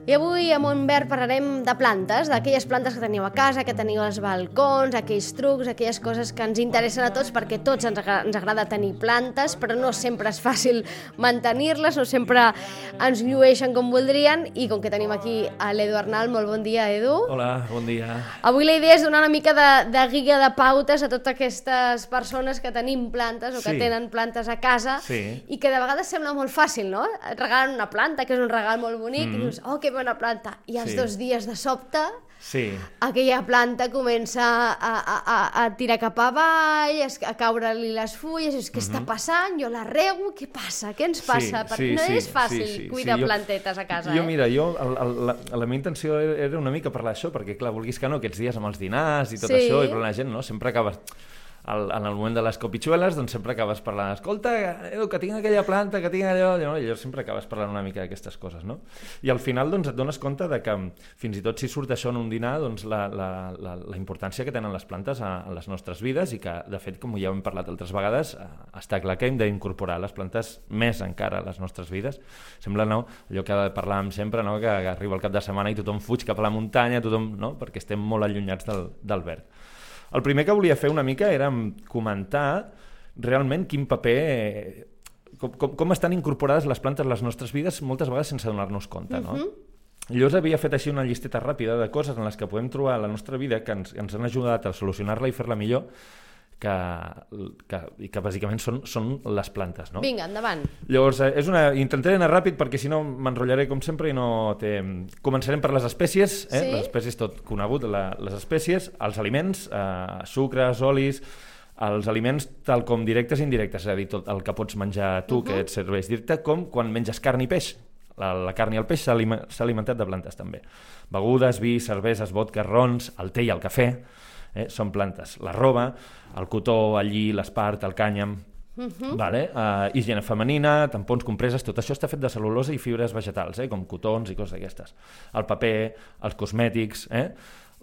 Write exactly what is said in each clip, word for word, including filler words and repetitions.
I avui a Montbert parlarem de plantes, d'aquelles plantes que teniu a casa, que teniu als balcons, aquells trucs, aquelles coses que ens interessen a tots, perquè tots ens agrada, ens agrada tenir plantes, però no sempre és fàcil mantenir-les, no sempre ens llueixen com voldrien, i com que tenim aquí a l'Edu Arnal, molt bon dia, Edu. Hola, bon dia. Avui la idea és donar una mica de, de guia de pautes a totes aquestes persones que tenim plantes o que Sí. tenen plantes a casa, Sí. i que de vegades sembla molt fàcil, no? Et regalen una planta, que és un regal molt bonic, mm. i dius, oh, que bona planta, i als Sí. dos dies de sobte Sí, aquella planta comença a, a, a, a tirar cap avall, a caure-li les fulles, i dius, què està passant? Jo la rego, què passa? Què ens passa? Sí, Perquè sí, no sí, és fàcil sí, sí, cuidar sí, jo- plantetes a casa, jo eh? mira, jo, el, el, la, la meva intenció era una mica parlar d'això, perquè clar, vulguis que no, aquests dies amb els dinars i tot Sí. això, i parlant la gent, no? Sempre acabes... Al, en el moment de les copitxueles, doncs sempre acabes parlant, escolta, Edu, que tinc aquella planta, que tinc allò, no? I llavors sempre acabes parlant una mica d'aquestes coses, no? I al final, doncs, et dones compte de que fins i tot si surt això en un dinar, doncs la, la, la, la importància que tenen les plantes a, a les nostres vides, i que, de fet, com ja hem parlat altres vegades, eh, està clar que hem d'incorporar les plantes més encara a les nostres vides. Sembla, no?, allò que parlàvem sempre, no?, que, que arriba el cap de setmana i tothom fuig cap a la muntanya, tothom, no?, perquè estem molt allunyats del, del verd. El primer que volia fer una mica era comentar realment quin paper, com, com, com estan incorporades les plantes a les nostres vides moltes vegades sense donar-nos compte, no? Uh-huh. Llavors havia fet així una llisteta ràpida de coses en les que podem trobar a la nostra vida que ens, ens han ajudat a solucionar-la i fer-la millor, que, que, i que bàsicament són, són les plantes, no? Vinga, endavant. Llavors, eh, és una... intentaré anar ràpid perquè si no m'enrotllaré com sempre i no té... Començarem per les espècies, eh? Sí. Les espècies tot conegut, la, les espècies, els aliments, eh, sucres, olis, els aliments tal com directes i indirectes, és a dir, tot el que pots menjar tu, uh-huh. que et serveix directe, com quan menges carn i peix. La, la carn i el peix s'ha aliment, s'ha alimentat de plantes també. Begudes, vi, cerveses, vodka, rons, el te i el cafè, eh? Són plantes. La roba, el cotó, el lli, l'espart, el cànyam, uh-huh. vale? uh, higiene femenina, tampons, compreses, tot això està fet de cel·lulosa i fibres vegetals, eh? Com cotons i coses d'aquestes. El paper, els cosmètics, eh?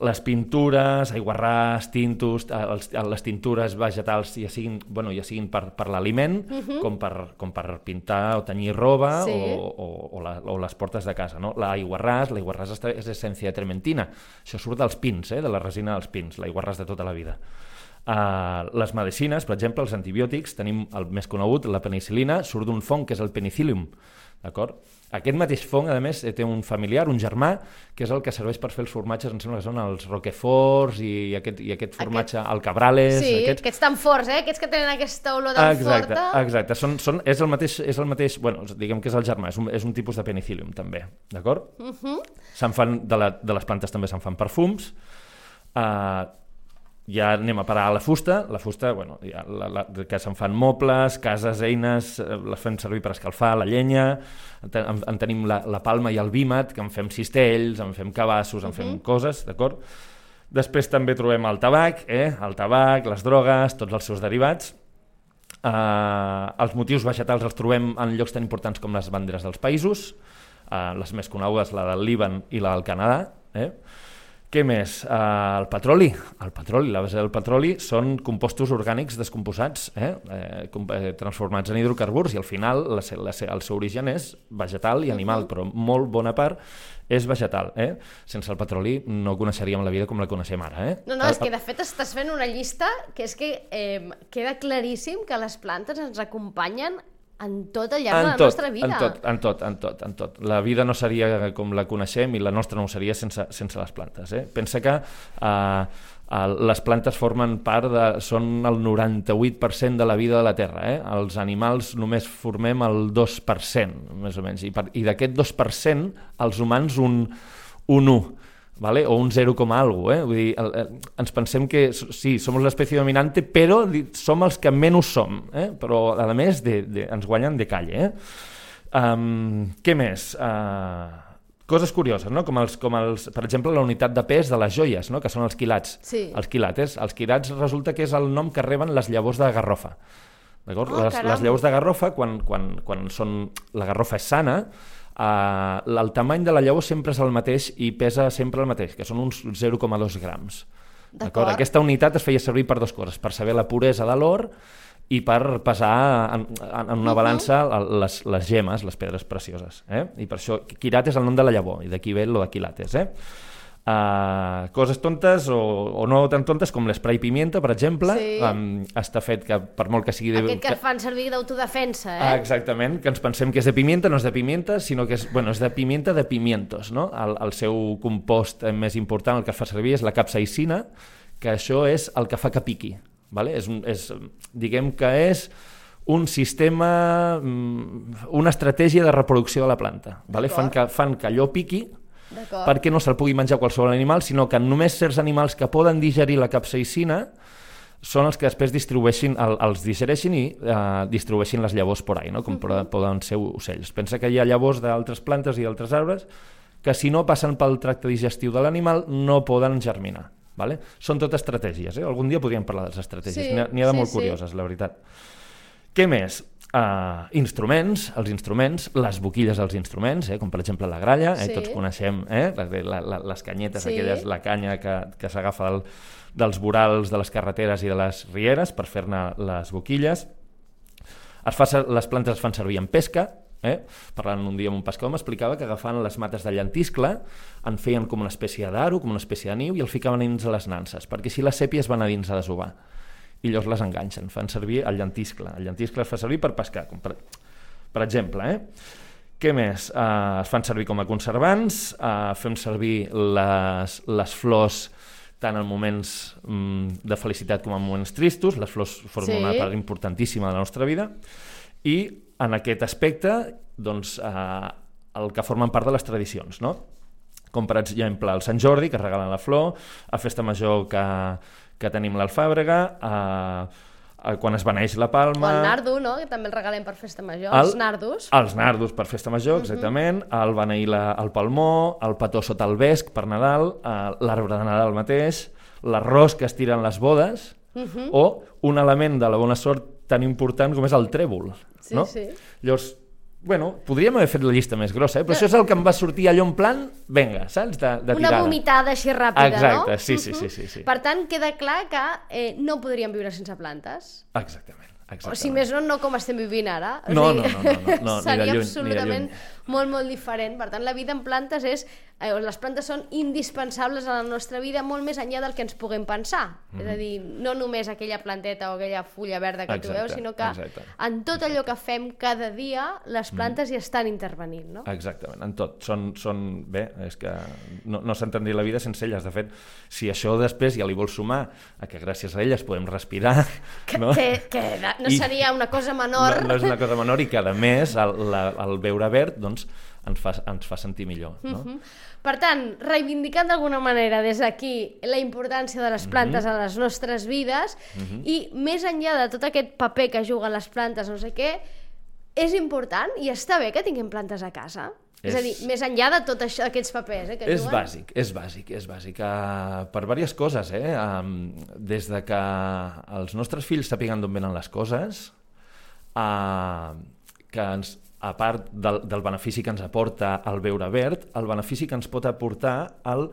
Les pintures, aiguarràs, tintos, els, les tintures vegetals, ja siguin, bueno, ja siguin per, per l'aliment, uh-huh. com, per, com per pintar o tenyir roba, Sí. o, o, o, la, o les portes de casa, no? L'aiguarràs, l'aiguarràs és essència de trementina. Això surt dels pins, eh? De la resina dels pins, l'aiguarràs de tota la vida. Uh, les medicines, per exemple, els antibiòtics, tenim el més conegut, la penicil·lina, surt d'un fong que és el penicillium, d'acord? Aquest mateix fong, a més, té un familiar, un germà, que és el que serveix per fer els formatges, em sembla que són els roqueforts i aquest, i aquest formatge, aquest... el cabrales... Sí, aquests... aquests tan forts, eh? Aquests que tenen aquesta olor tan exacte, forta. Exacte, són, són, és, el mateix, és el mateix... Bueno, diguem que és el germà, és un, és un tipus de penicillium, també, d'acord? Uh-huh. Se'n fan, de, la, de les plantes també se'n fan perfums. Uh, ja anem a parar a la fusta, la fusta, bueno, ja, la, la, que se'n fan mobles, cases, eines, les fem servir per escalfar, la llenya, en, en tenim la, la palma i el vímet, que en fem cistells, en fem cabassos, en fem uh-huh. coses, d'acord? Després també trobem el tabac, eh? El tabac, les drogues, tots els seus derivats. Uh, els motius vegetals els trobem en llocs tan importants com les banderes dels països, uh, les més conegudes, la del Líban i la del Canadà, eh? Què més? Uh, el petroli. El petroli, la base del petroli són compostos orgànics descomposats, eh? Eh, com, eh, transformats en hidrocarburs, i al final la, la, el seu origen és vegetal i animal, però molt bona part és vegetal. Eh? Sense el petroli no coneixeríem la vida com la coneixem ara. Eh? No, no, és que de fet estàs fent una llista que és que eh, queda claríssim que les plantes ens acompanyen en tot al llarg en de la tot, nostra vida. En tot, en tot, en tot, en tot. La vida no seria com la coneixem i la nostra no seria sense, sense les plantes. Eh? Pensa que eh, eh, les plantes formen part de... són el noranta-vuit per cent de la vida de la Terra. Eh? Els animals només formem el dos per cent, més o menys. I, per, i d'aquest dos per cent, els humans un, un u. ¿Vale? O un zero coma algo, eh? Vull dir, el, el, ens pensem que sí, som l'espècie dominante, però som els que menys som, eh? Però a més de, de, ens guanyen de calle. Eh? Um, què més? Uh, coses curioses, no? Com els, com els, per exemple, la unitat de pes de les joies, no? Que són els quilats. Sí. Els quilates. Els quilats resulta que és el nom que reben les llavors de garrofa. D'acord? Oh, les, les llavors de garrofa, quan, quan, quan són, la garrofa és sana, Uh, el tamany de la llavor sempre és el mateix i pesa sempre el mateix, que són uns zero coma dos grams. Aquesta unitat es feia servir per dues coses, per saber la puresa de l'or i per pesar en, en una balança les, les gemes, les pedres precioses. Eh? I per això quilat és el nom de la llavor, i d'aquí ve lo de quilates. Eh? Uh, coses tontes o, o no tan tontes com l'esprai pimienta, per exemple, sí. um, està fet que per molt que sigui... De, Aquest que, que es fan servir d'autodefensa, eh? Ah, exactament, que ens pensem que és de pimienta, no és de pimienta, sinó que és, bueno, és de pimienta de pimientos, no? El, el seu compost més important, el que fa servir, és la capsaïcina, que això és el que fa que piqui, vale? És un, és, diguem que és un sistema, una estratègia de reproducció de la planta, vale? Fan que, fan que allò piqui, perquè no se'l pugui menjar qualsevol animal, sinó que només certs animals que poden digerir la capsaïcina són els que després distribueixin, el, els digereixin i eh, distribueixin les llavors por ahí, no? Com uh-huh. poden ser ocells. Pensa que hi ha llavors d'altres plantes i d'altres arbres que si no passen pel tracte digestiu de l'animal no poden germinar. Vale? Són tot estratègies. Eh? Algun dia podríem parlar de les estratègies. Sí, N'hi ha, ha de sí, molt curioses, sí. la veritat. Què més? Uh, instruments, els instruments, les boquilles dels instruments, eh, com per exemple la gralla, eh, sí. tots coneixem eh, la, la, les canyetes, sí. aquelles, la canya que, que s'agafa del, dels vorals de les carreteres i de les rieres per fer-ne les boquilles. Es fa, les plantes es fan servir en pesca, eh? Parlant un dia amb un pescador m'explicava que agafant les mates de llentiscle en feien com una espècie d'aro, com una espècie de niu i el ficaven dins a les nanses, perquè si les sèpies van a dins a desovar. I llavors les enganxen, fan servir el llentiscle. El llentiscle es fa servir per pescar, com per, per exemple. Eh? Què més? Uh, es fan servir com a conservants, uh, fem servir les, les flors tant en moments um, de felicitat com en moments tristos. Les flors formen sí. una part importantíssima de la nostra vida. I en aquest aspecte, doncs, uh, el que formen part de les tradicions, no? Com per exemple el Sant Jordi, que regalen la flor, a Festa Major que... que tenim l'alfàbrega, eh, eh, quan es beneix la palma... O el nardo, no?, que també el regalem per Festa Major, el, els nardos. Els nardos per Festa Major, exactament, uh-huh. el beneir la, el palmó, el petó sota el vesc per Nadal, eh, l'arbre de Nadal mateix, l'arròs que es tira en les bodes, uh-huh. o un element de la bona sort tan important com és el trèvol. Sí, no? sí. Llavors, bueno, podríem haver fet la llista més grossa, eh? Però no. això és el que em va sortir allò en plan, venga, saps? De, de Una tirada. vomitada així ràpida, Exacte, no? sí, sí, sí, sí, sí. Per tant, queda clar que eh, no podríem viure sense plantes. Exactament. Exactament. O si més no, no com estem vivint ara. O no, sigui, no, no, no, no, no, seria ni de lluny, absolutament ni de lluny. molt, molt diferent. Per tant, la vida en plantes és... Eh, les plantes són indispensables a la nostra vida molt més enllà del que ens puguem pensar. Mm-hmm. És a dir, no només aquella planteta o aquella fulla verda que exacte, tu veus, sinó que exacte, en tot exacte. allò que fem cada dia, les plantes mm. hi estan intervenint, no? Exactament, en tot. Són, són bé, és que no, no s'entendria la vida sense elles. De fet, si això després ja li vols sumar a que gràcies a elles podem respirar... Que, no, que, que no seria una cosa menor. No, no és una cosa menor i que, a més, el, la, el beure verd doncs, ens, fa, ens fa sentir millor. No? Mm-hmm. Per tant, reivindicant d'alguna manera des d'aquí la importància de les plantes mm-hmm. a les nostres vides mm-hmm. i més enllà de tot aquest paper que juguen les plantes, no sé què, és important i està bé que tinguem plantes a casa. És, és a dir, més enllà de tots aquests papers eh, que és juguen. bàsic, és bàsic, és bàsic uh, per diverses coses, eh? Um, des de que els nostres fills sàpiguen d'on venen les coses, uh, que ens, a part del, del benefici que ens aporta el beure verd, el benefici que ens pot aportar el,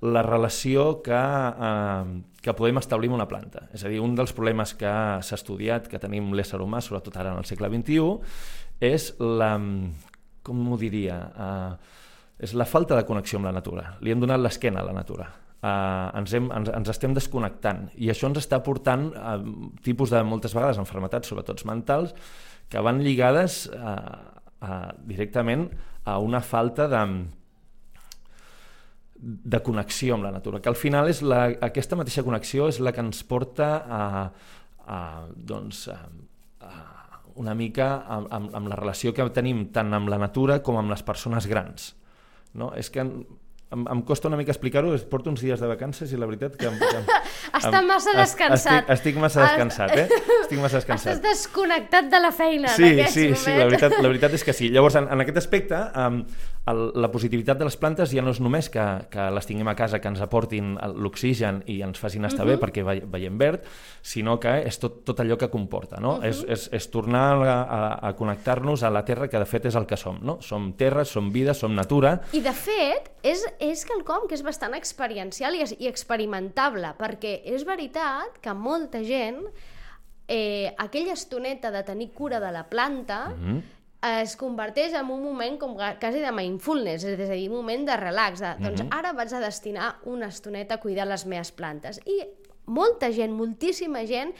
la relació que, uh, que podem establir amb una planta. És a dir, un dels problemes que s'ha estudiat, que tenim l'ésser humà, sobretot ara en el segle vint-i-u, és la... com ho diria, uh, és la falta de connexió amb la natura. Li hem donat l'esquena a la natura. Uh, ens, hem, ens, ens estem desconnectant i això ens està portant a tipus de, moltes vegades, enfermetats, sobretot mentals, que van lligades uh, uh, directament a una falta de, de connexió amb la natura, que al final és la, aquesta mateixa connexió és la que ens porta a, a doncs, a, a una mica amb, amb, amb la relació que tenim tant amb la natura com amb les persones grans. No? És que em, em costa una mica explicar-ho, porto uns dies de vacances i la veritat que... Em, que em, Està em, massa descansat. Estic, estic massa descansat, eh? Estic massa descansat. Estàs desconnectat de la feina sí, en aquests sí, moments. Sí, la veritat, la veritat és que sí. Llavors, en, en aquest aspecte, um, el, la positivitat de les plantes ja no és només que, que les tinguem a casa, que ens aportin l'oxigen i ens facin estar uh-huh. bé perquè ve, veiem verd, sinó que és tot, tot allò que comporta, no? Uh-huh. és, és, és tornar a, a, a connectar-nos a la terra, que de fet és el que som, no? Som terra, som vida, som natura. I de fet, és, és quelcom que és bastant experiencial i, i experimentable, perquè és veritat que molta gent eh, aquella estoneta de tenir cura de la planta mm-hmm. es converteix en un moment com quasi de mindfulness, és a dir, un moment de relax, de, doncs mm-hmm. ara vaig a destinar una estoneta a cuidar les meves plantes. I molta gent, moltíssima gent,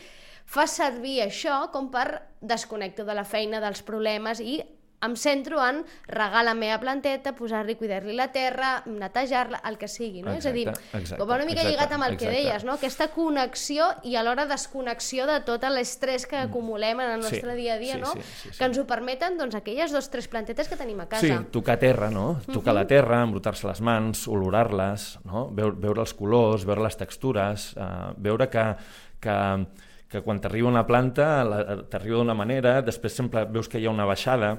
fa servir això com per desconnectar de la feina, dels problemes, i em centro en regar la meva planteta, posar-li, cuidar-li la terra, netejar-la, el que sigui, no? Exacte, és a dir, exacte, com una mica exacte, lligat amb el exacte. que deies, no? Aquesta connexió i alhora desconnexió de tot l'estrès que acumulem en el nostre sí, dia a dia, sí, no? Sí, sí, sí. Que ens ho permeten, doncs, aquelles dos o tres plantetes que tenim a casa. Sí, tocar terra, no? Tocar uh-huh. la terra, embrutar-se les mans, olorar-les, no? Veure, veure els colors, veure les textures, uh, veure que... que que quan t'arriba una planta t'arriba d'una manera, després sempre veus que hi ha una baixada,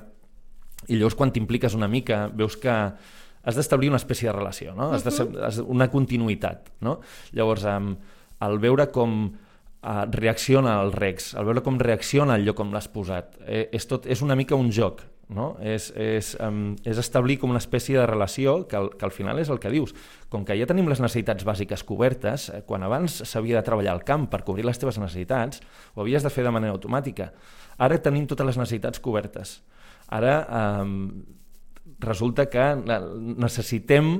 i llavors quan t'impliques una mica veus que has d'establir una espècie de relació, no? Has de ser, has de, una continuïtat, no? Llavors, um, al veure com uh, reacciona el regs, al veure com reacciona el lloc on l'has posat, eh, és, tot, és una mica un joc, no? És, és, um, és establir com una espècie de relació que al, que al final és el que dius. Com que ja tenim les necessitats bàsiques cobertes, eh, quan abans s'havia de treballar al camp per cobrir les teves necessitats, ho havies de fer de manera automàtica. Ara tenim totes les necessitats cobertes. Ara eh, resulta que necessitem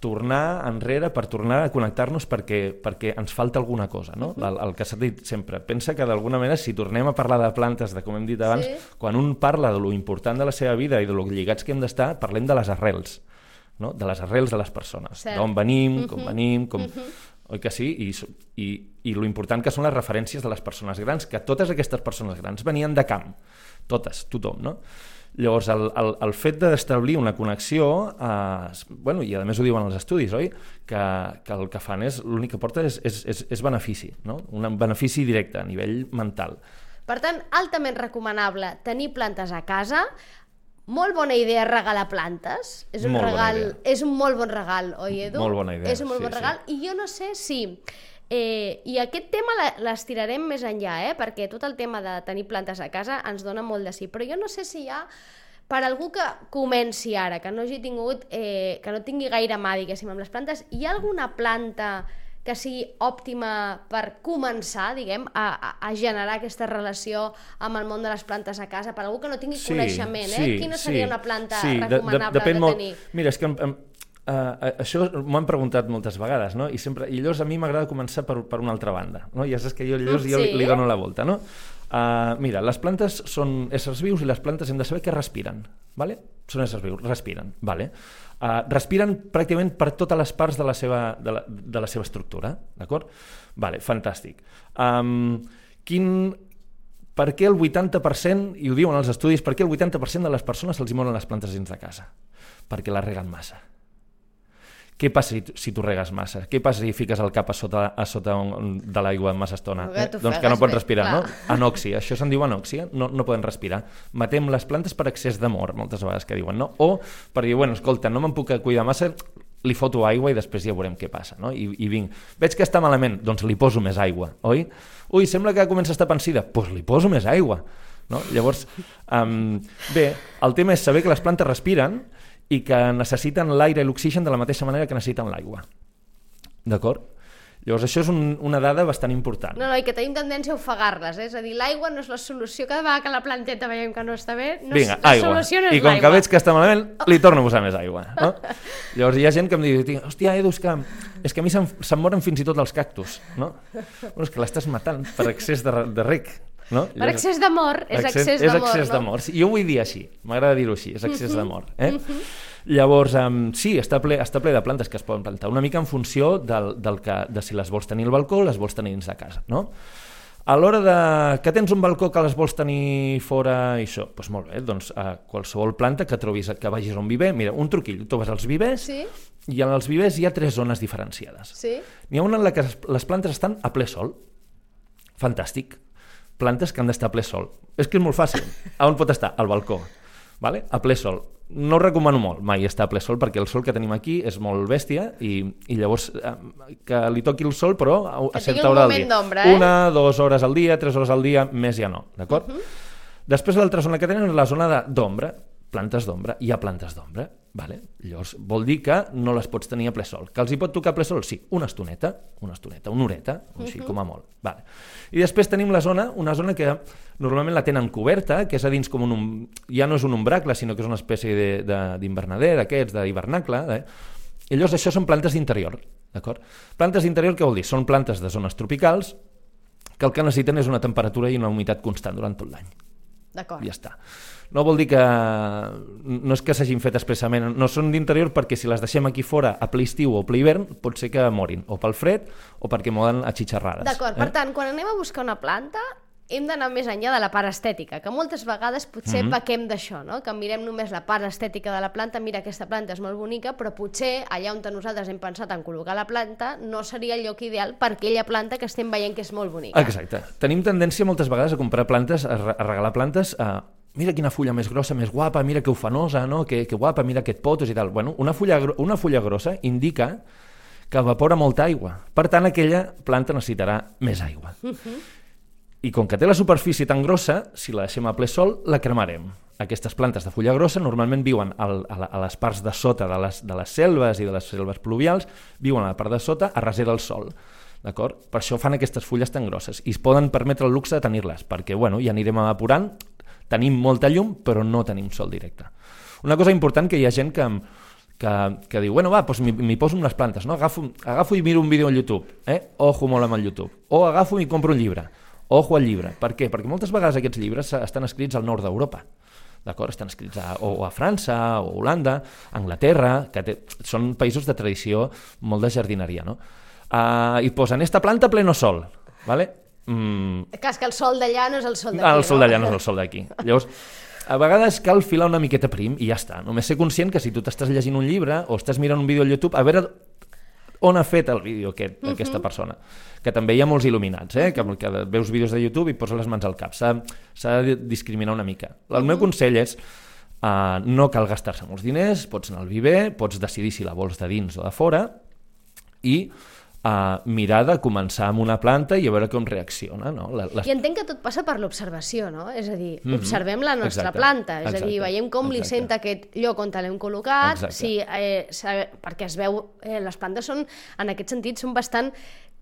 tornar enrere per tornar a connectar-nos perquè, perquè ens falta alguna cosa, no? Uh-huh. el, el que s'ha dit sempre. Pensa que d'alguna manera, si tornem a parlar de plantes, de com hem dit abans, sí. quan un parla de lo important de la seva vida i de lo lligats que hem d'estar, parlem de les arrels, no? De les arrels de les persones, d'on venim, uh-huh. com venim, com... Uh-huh. Oi que sí? I, i, i lo important que són les referències de les persones grans, que totes aquestes persones grans venien de camp, totes, tothom, no? Llavors, el, el, el fet d'establir una connexió, eh, bueno, i a més ho diuen els estudis, oi? Que, que el que fan és, l'únic que porta és, és, és, és benefici, no? Un benefici directe a nivell mental. Per tant, altament recomanable tenir plantes a casa. Molt bona idea regalar plantes. És un, regal, és un molt bon regal, oi, Edu? Molt bona idea. És un molt sí, bon regal. Sí. I jo no sé si... Eh, I aquest tema l'estirarem més enllà, eh? Perquè tot el tema de tenir plantes a casa ens dona molt de sí, però jo no sé si hi ha, per algú que comenci ara, que no hagi tingut, eh, que no tingui gaire mà, diguéssim, amb les plantes, hi ha alguna planta que sigui òptima per començar, diguem, a, a generar aquesta relació amb el món de les plantes a casa, per algú que no tingui sí, coneixement, eh? Sí, Quina seria sí, una planta sí, recomanable de, de, de tenir? Molt... Mira, és que... Em, Uh, això m'ho han preguntat moltes vegades, no? I, sempre, i llavors a mi m'agrada començar per, per una altra banda, no? Ja saps que jo, llavors, sí. jo li, li dono la volta, no? Uh, mira, les plantes són éssers vius i les plantes hem de saber que respiren, vale? Són éssers vius, respiren, vale? Uh, respiren pràcticament per totes les parts de la seva, de la, de la seva estructura, d'acord? Vale, fantàstic. Um, quin... Per què el vuitanta per cent, i ho diuen els estudis, per què el vuitanta per cent de les persones se'ls hi moren les plantes dins de casa? Perquè les reguen massa. Què passa si, si tu regues massa? Què passa si fiques el cap a sota, a sota un, de l'aigua massa estona? Eh? Doncs que no pots respirar, bé, no? Anòxia, això se'n diu anòxia, no, no poden respirar. Matem les plantes per excés d'amor, moltes vegades que diuen, no? O per dir, bueno, escolta, no me'n puc cuidar massa, li foto aigua i després ja veurem què passa, no? I, i vinc, veig que està malament, doncs li poso més aigua, oi? Ui, sembla que comença a estar pansida, doncs li poso més aigua, no? Llavors, um, bé, el tema és saber que les plantes respiren i que necessiten l'aire i l'oxigen de la mateixa manera que necessiten l'aigua. D'acord? Llavors, això és un, una dada bastant important. No, no, i que tenim tendència a ofegar-les, eh? És a dir, l'aigua no és la solució. Cada vegada que la planteta veiem que no està bé, no Vinga, la aigua. solució no és l'aigua. I com l'aigua. que veig que està malament, li torno a posar més aigua. No? Llavors, hi ha gent que em diu, hòstia, Edu, és que, és que a mi se'm, se'm moren fins i tot els cactus. No? Bueno, és que l'estàs matant per excés de, de rec. No? Per excés d'amor, és excés, excés d'amor. És excés no? d'amor. Jo ho vull dir així, m'agrada dir-ho així, és excés d'amor. Eh? Llavors, um, sí, està ple, està ple de plantes que es poden plantar, una mica en funció del, del que, de si les vols tenir al balcó o les vols tenir dins de casa, no? A l'hora de que tens un balcó que les vols tenir fora i això, doncs molt bé, doncs uh, qualsevol planta que trobis, que vagis a un viver, mira, un truquill, tu vas als vivers sí. i en els vivers hi ha tres zones diferenciades. Sí. N'hi ha una en la que les plantes estan a ple sol, fantàstic, plantes que han d'estar a ple sol. És que és molt fàcil. A on pot estar? Al balcó. Vale? A ple sol. No recomano molt mai estar a ple sol perquè el sol que tenim aquí és molt bèstia i, i llavors eh, que li toqui el sol però a, a certa hora del dia. Eh? Una, dues hores al dia, tres hores al dia, més ja no. D'acord? Uh-huh. Després l'altra zona que tenen és la zona d'ombra. plantes d'ombra. Hi ha plantes d'ombra. Vale? Llavors, vol dir que no les pots tenir a ple sol. Que els hi pot tocar a ple sol? Sí, una estoneta, una estoneta, una horeta, així uh-huh. com a molt. Vale. I després tenim la zona, una zona que normalment la tenen coberta, que és a dins com un... ja no és un umbracle, sinó que és una espècie d'invernader, d'aquests, d'hivernacle. Eh? I llavors això són plantes d'interior. D'acord? Plantes d'interior, què vol dir? Són plantes de zones tropicals que el que necessiten és una temperatura i una humitat constant durant tot l'any. D'acord. Ja està. No vol dir que... no és que s'hagin fet expressament, no són d'interior perquè si les deixem aquí fora a ple estiu o a ple hivern pot ser que morin, o pel fred o perquè moren atxitxarrades. D'acord, eh? Per tant, quan anem a buscar una planta hem d'anar més enllà de la part estètica, que moltes vegades potser mm-hmm. pequem d'això, no? Que mirem només la part estètica de la planta, mira, aquesta planta és molt bonica, però potser allà on nosaltres hem pensat en col·locar la planta no seria el lloc ideal per aquella planta que estem veient que és molt bonica. Exacte. Tenim tendència moltes vegades a comprar plantes, a regalar plantes a... mira quina fulla més grossa, més guapa, mira que ufanosa, no? que, que guapa, mira aquest potos i tal. Bueno, una fulla, una fulla grossa indica que evapora molta aigua. Per tant, aquella planta necessitarà més aigua. Uh-huh. I com que té la superfície tan grossa, si la deixem a ple sol, la cremarem. Aquestes plantes de fulla grossa normalment viuen al, a, a les parts de sota de les, de les selves i de les selves pluvials, viuen a la part de sota a recer del sol. D'acord? Per això fan aquestes fulles tan grosses i es poden permetre el luxe de tenir-les, perquè bueno, ja anirem evaporant, tenim molta llum, però no tenim sol directe. Una cosa important que hi ha gent que, que, que diu, bueno, va, doncs m'hi poso amb les plantes, no? agafo, agafo i miro un vídeo a YouTube, eh? Ojo molt amb el YouTube, o agafo i compro un llibre, ojo al llibre. Per què? Perquè moltes vegades aquests llibres estan escrits al nord d'Europa, d'acord? Estan escrits a, o a França, o a Holanda, a Anglaterra, que té, són països de tradició molt de jardineria, no? Uh, I posen esta planta a pleno sol, ¿vale? Mm. Cas que el sol d'allà no és el sol d'aquí, el sol d'allà no és el sol d'aquí. Llavors, a vegades cal filar una miqueta prim i ja està. Només ser conscient que si tu t'estàs llegint un llibre o estàs mirant un vídeo al YouTube, a veure on ha fet el vídeo aquest, uh-huh. aquesta persona. Que també hi ha molts il·luminats, eh? que, que veus vídeos de YouTube i poses les mans al cap. S'ha de discriminar una mica. El uh-huh. meu consell és uh, no cal gastar-se molts diners, pots anar al viver, pots decidir si la vols de dins o de fora i a mirar de començar amb una planta i a veure com reacciona. No? La, les... I entenc que tot passa per l'observació, no? És a dir, mm-hmm. observem la nostra Exacte. planta, és Exacte. a dir, veiem com Exacte. li sent aquest lloc on l'hem col·locat, si, eh, saber, perquè es veu, eh, les plantes són, en aquest sentit, són bastant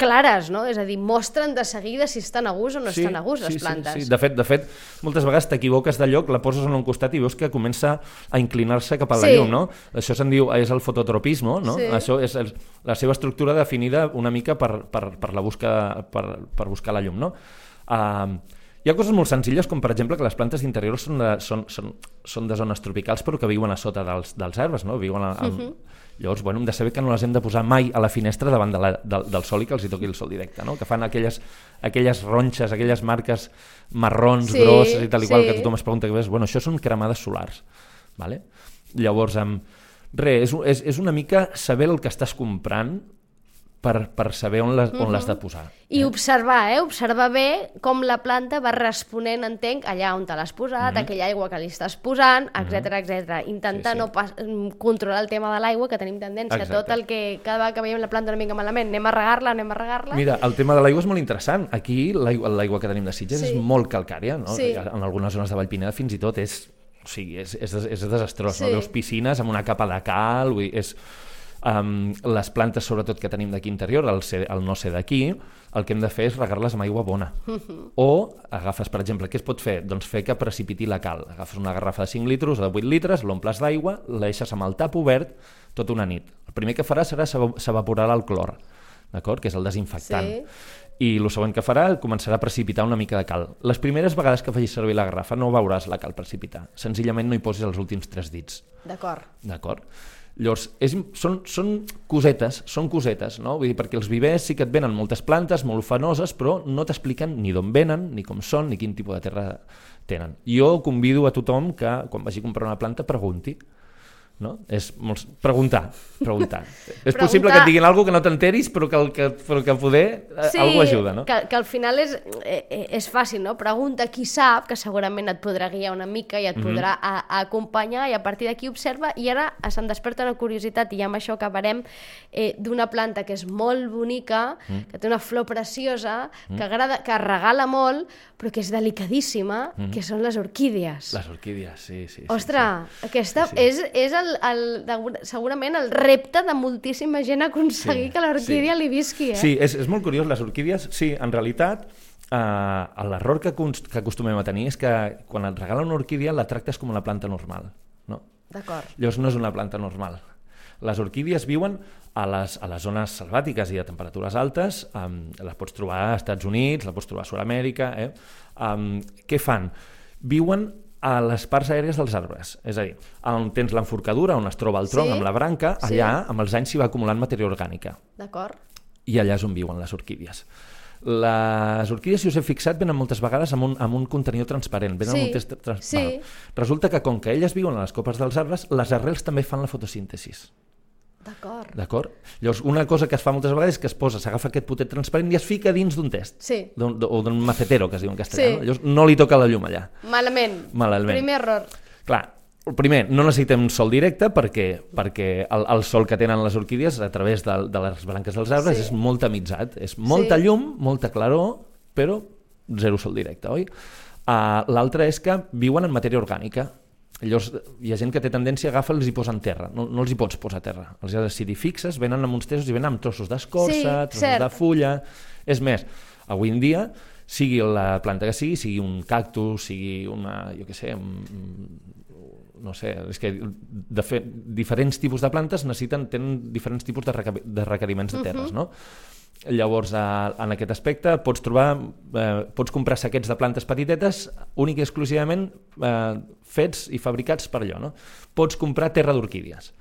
clares, no? És a dir, mostren de seguida si estan a gust o no sí, estan a gust les sí, plantes. Sí, sí. De fet, de fet, moltes vegades t'equivoques de lloc, la poses en un costat i veus que comença a inclinar-se cap a la sí. llum, no? Això se'n diu, és el fototropisme, no? Sí. Això és el, la seva estructura definida una mica per, per, per, la busca, per, per buscar la llum, no? Uh, hi ha coses molt senzilles, com per exemple que les plantes d'interior són, de, són, són, són de zones tropicals però que viuen a sota dels, dels arbres, no? Viuen a, a, uh-huh. Llavors, bueno, hem de saber que no les hem de posar mai a la finestra davant de la, del, del sol i que els hi toqui el sol directe, no? Que fan aquelles, aquelles ronxes, aquelles marques marrons, sí, grosses i tal i sí. qual, que tothom es pregunta que ves, bueno, això són cremades solars, vale? Llavors, um, res, és, és, és una mica saber el que estàs comprant per, per saber on l'has uh-huh. de posar. I eh? observar, eh? Observar bé com la planta va responent, entenc, allà on te l'has posat, uh-huh. aquella aigua que li estàs posant, etcètera, uh-huh. etcètera. Intentar sí, sí. no pas controlar el tema de l'aigua, que tenim tendència Exacte. tot el que cada vegada que veiem la planta una mica malament, anem a regar-la, anem a regar-la. Mira, el tema de l'aigua és molt interessant. Aquí l'aigua que tenim de Sitges sí. és molt calcària, no? Sí. En algunes zones de Vallpineda fins i tot és, o sigui, és, és, és desastrós, sí. no? Veus piscines amb una capa de cal, vull dir, és... Um, les plantes, sobretot, que tenim d'aquí interior, el, ser, el no ser d'aquí, el que hem de fer és regar-les amb aigua bona. Uh-huh. O agafes, per exemple, què es pot fer? Doncs fer que precipiti la cal. Agafes una garrafa de cinc litres o de vuit litres, l'omples d'aigua, la deixes amb el tap obert tota una nit. El primer que farà serà s'evaporarà el clor, d'acord? Que és el desinfectant. Sí. I el següent que farà començarà a precipitar una mica de cal. Les primeres vegades que facis servir la garrafa no veuràs la cal precipitar. Senzillament no hi posis els últims tres dits. D'acord. D'acord? Llavors, és, són, són cosetes, són cosetes, no? Vull dir, perquè els vivers sí que et venen moltes plantes, molt ufanoses, però no t'expliquen ni d'on venen, ni com són, ni quin tipus de terra tenen. Jo convido a tothom que, quan vagi a comprar una planta, pregunti. no? És molt... preguntar, preguntar. És possible que et diguin alguna cosa que no t'enteris, però que, el, que, però que poder sí, algú ajuda, no? Que, que al final és, eh, és fàcil, no? Pregunta qui sap, que segurament et podrà guiar una mica i et mm-hmm. podrà a, a acompanyar, i a partir d'aquí observa, i ara se'm desperta una curiositat, i amb això acabarem, eh, d'una planta que és molt bonica, mm. que té una flor preciosa, mm. que, agrada, que regala molt, però que és delicadíssima, mm. que són les orquídies. Les orquídies, sí, sí. Ostres, sí, sí. aquesta sí, sí. és, és el, el, segurament el repte de moltíssima gent aconseguir sí, que l'orquídia sí. li visqui. Eh? Sí, és, és molt curiós, les orquídies, sí, en realitat, eh, l'error que, que acostumem a tenir és que quan et regalen una orquídia la tractes com una planta normal. No? D'acord. Llavors no és una planta normal. Les orquídies viuen a les, a les zones selvàtiques i a temperatures altes, um, les pots trobar als Estats Units, la pots trobar a Sud-amèrica. Eh? Um, què fan? Viuen a les parts aèries dels arbres, és a dir, on tens l'enforcadura, on es troba el tronc sí, amb la branca, allà sí. amb els anys s'hi va acumulant matèria orgànica. D'acord. I allà és on viuen les orquídies. Les orquídies, si us he fixat, venen moltes vegades amb un, amb un contenidor transparent. Venen sí, amb un test trans... sí. Resulta que com que elles viuen a les copes dels arbres, les arrels també fan la fotosíntesis. D'acord. D'acord? Llavors, una cosa que es fa moltes vegades és que es posa, s'agafa aquest potet transparent i es fica dins d'un test. Sí. D'un, o d'un macetero, que es diu en castellà. Sí. No? Llavors, no li toca la llum allà. Malament. Malament. Primer error. Clar, primer, no necessitem sol directe perquè, perquè el, el sol que tenen les orquídies a través de, de les branques dels arbres sí. és molt tamitzat. És molta sí. llum, molta claror, però zero sol directe, oi? Uh, L'altre és que viuen en matèria orgànica. Llavors, hi ha gent que té tendència a agafar i els hi posa en terra. No, no els hi pots posar a terra. Els has de decidir fixes, venen amb uns testos i venen amb trossos d'escorça, sí, trossos cert. de fulla... És més, avui en dia, sigui la planta que sigui, sigui un cactus, sigui una, jo què sé, un, no sé, és que de fer, diferents tipus de plantes necessiten, tenen diferents tipus de, reca, de requeriments de terres, uh-huh. no? Llavors, en aquest aspecte, pots trobar, eh, pots comprar saquets de plantes petitetes únic i exclusivament eh, fets i fabricats per allò, no? Pots comprar terra d'orquídies.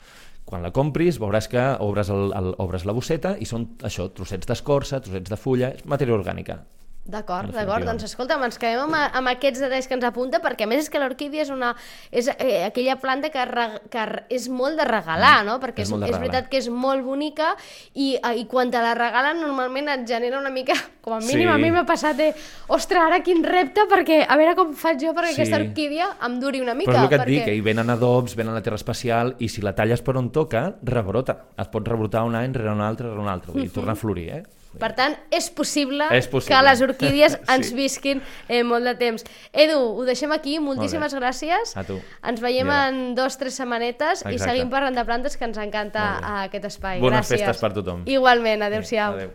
Quan la compris veuràs que obres, el, el, obres la bosseta i són això, trossets d'escorça, trossets de fulla, és matèria orgànica. D'acord, d'acord. Doncs escolta, ens quedem amb, amb aquests detalls que ens apunta, perquè a més és que l'orquídia és, una, és eh, aquella planta que, re, que és molt de regalar, no? Perquè és, és, és veritat que és molt bonica i, i quan te la regalen normalment et genera una mica, com a mínim sí. a mi m'ha passat de, ostres, ara quin repte, perquè a veure com faig jo perquè sí. aquesta orquídia em duri una mica. Però és el que et perquè... dic, que hi venen adobs, venen a la terra especial i si la talles per on toca, rebrota. Es pot rebrotar un any rere un altre, rere un altre, vull dir, uh-huh. tornar a florir, eh? Per tant, és possible, és possible que les orquídies ens sí. visquin eh, molt de temps. Edu, ho deixem aquí, moltíssimes gràcies. A tu. Ens veiem ja. en dos o tres setmanetes Exacte. i seguim parlant de plantes, que ens encanta aquest espai. Bones gràcies. festes per tothom. Igualment, adeu-siau. Adéu.